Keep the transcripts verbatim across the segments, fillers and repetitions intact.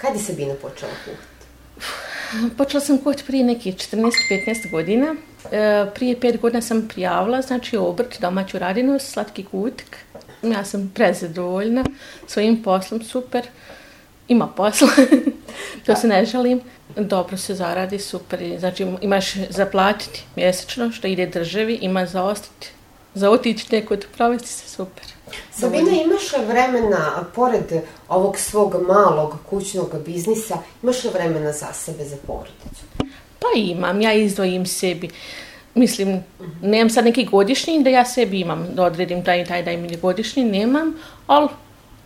Kad je Sabina počela kuhati? Počela sam kuhati prije nekih četrnaest petnaest godina. E, prije pet godina sam prijavila, znači obrt, domaću radinu, slatki kutik. Ja sam prezadovoljna svojim poslom, super. Ima posla, to se ne žalim. Dobro se zaradi, super. Znači imaš zaplatiti mjesečno što ide državi, ima za ostati, za otići nekud, provesti se super. Sabina, imaš li vremena, pored ovog svog malog kućnog biznisa, imaš li vremena za sebe, za porodicu? Pa imam, ja izdvojim sebi. Mislim, uh-huh. nemam sad neki godišnji da ja sebi imam, da odredim taj i taj da im godišnji, nemam, ali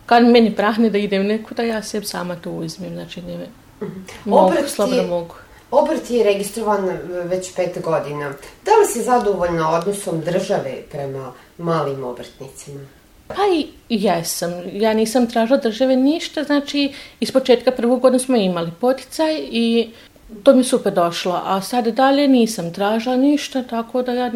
kad meni prahne da idem nekuda, ja sebi sama to uzmem, znači ne uh-huh. mogu, obrt slobodno je, mogu. Obrt je registrovan već pet godina. Da li si zadovoljna odnosom države prema malim obrtnicima? Pa i jesam. Ja nisam tražila države ništa, znači iz početka prvog godina smo imali poticaj i to mi je super došlo, a sad dalje nisam tražila ništa, tako da ja...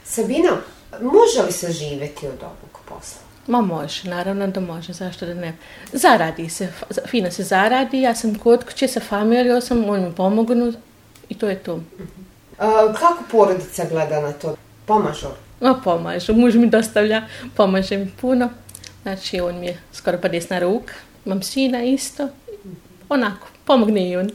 Sabina, može li se živjeti od ovog posla? Ma može, naravno da može, zašto da ne. Zaradi se, fino se zaradi, ja sam kod kuće sa familijom, sam, oni mi pomognu i to je to. A, kako porodica gleda na to? Pomažu? No, pomažu, muž mi dostavlja, pomaže mi puno, znači on mi je skoro pa desna ruka, imam sina isto, onako, pomogne i on.